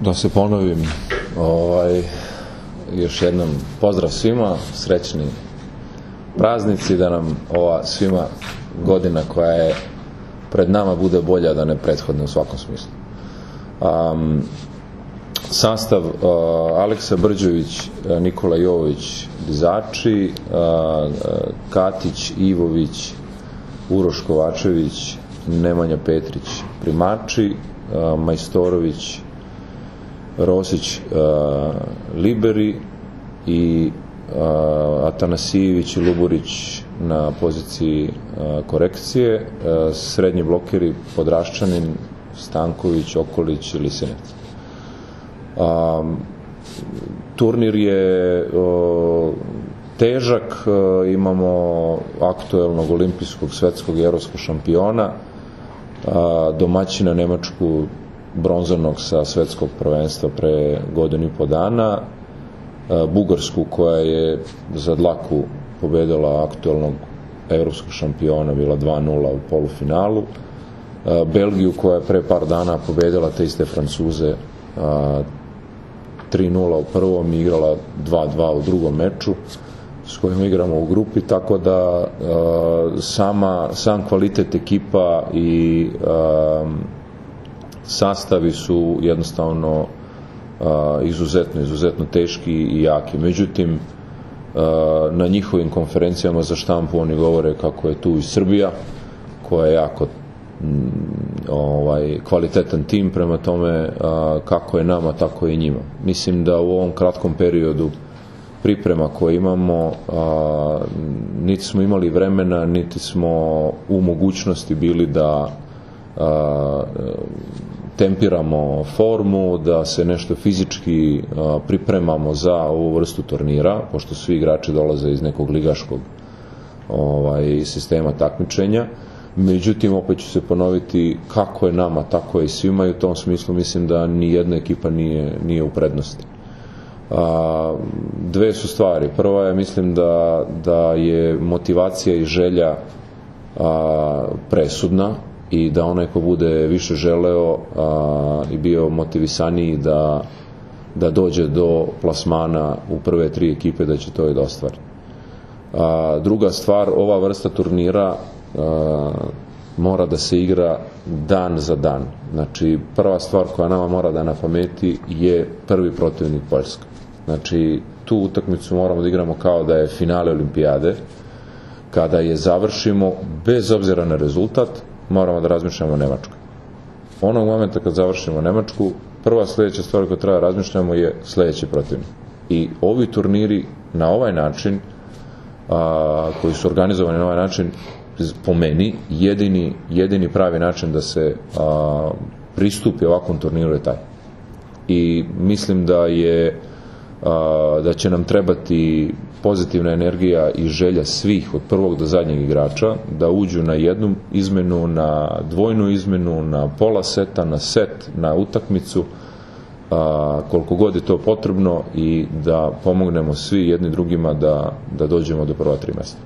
Da se ponovim, još jednom pozdrav svima, srećni praznici, da nam ova svima godina koja je pred nama bude bolja da ne prethodne u svakom smislu. Sastav: Aleksa Brđović, Nikola Jovović dizači, Katić, Ivović, Uroš Kovačević, Nemanja Petrić primači, Majstorović, Rosić liberi i Atanasijević i Luburić na poziciji korekcije, srednji blokeri Podraščanin, Stanković, Okolić i Lisinec. Turnir je težak, imamo aktuelnog olimpijskog, svetskog i evropskog šampiona, domaćina Nemačku bronzanog sa svetskog prvenstva pre godinu i po dana, Bugarsku koja je za dlaku pobedila aktuelnog evropskog šampiona, bila 2-0 u polufinalu, Belgiju koja je pre par dana pobedila te iste Francuze 3-0 u prvom i igrala 2-2 u drugom meču s kojim igramo u grupi, tako da sam kvalitet ekipa i sastavi su jednostavno izuzetno teški i jaki. Međutim, na njihovim konferencijama za štampu oni govore kako je tu i Srbija, koja je jako kvalitetan tim, prema tome kako je nama, tako je i njima. Mislim da u ovom kratkom periodu priprema koje imamo, niti smo imali vremena, niti smo u mogućnosti bili da tempiramo formu, da se nešto fizički pripremamo za ovu vrstu turnira, pošto svi igrači dolaze iz nekog ligaškog sistema takmičenja. Međutim, opet ću se ponoviti, kako je nama, tako je i svima, i u tom smislu mislim da ni jedna ekipa nije u prednosti. Dve su stvari. Prva je, mislim da je motivacija i želja presudna i da onaj ko bude više želeo i bio motivisaniji da dođe do plasmana u prve tri ekipe, da će to i da ostvari. Druga stvar, ova vrsta turnira mora da se igra dan za dan. Znači, prva stvar koja nama mora da na pameti je prvi protivnik Poljska. Znači, tu utakmicu moramo da igramo kao da je finale olimpijade. Kada je završimo, bez obzira na rezultat, moramo da razmišljamo o Nemačkoj. Onog momenta kad završimo Nemačku, prva sljedeća stvar koju treba razmišljamo je sljedeći protivnik. I ovi turniri na ovaj način, koji su organizovani na ovaj način, po meni, jedini pravi način da se pristupi ovakvom turniru je taj. I mislim da će nam trebati pozitivna energija i želja svih od prvog do zadnjeg igrača da uđu na jednu izmenu, na dvojnu izmenu, na pola seta, na set, na utakmicu, koliko god je to potrebno, i da pomognemo svi jedni drugima da dođemo do prva 3 mesta.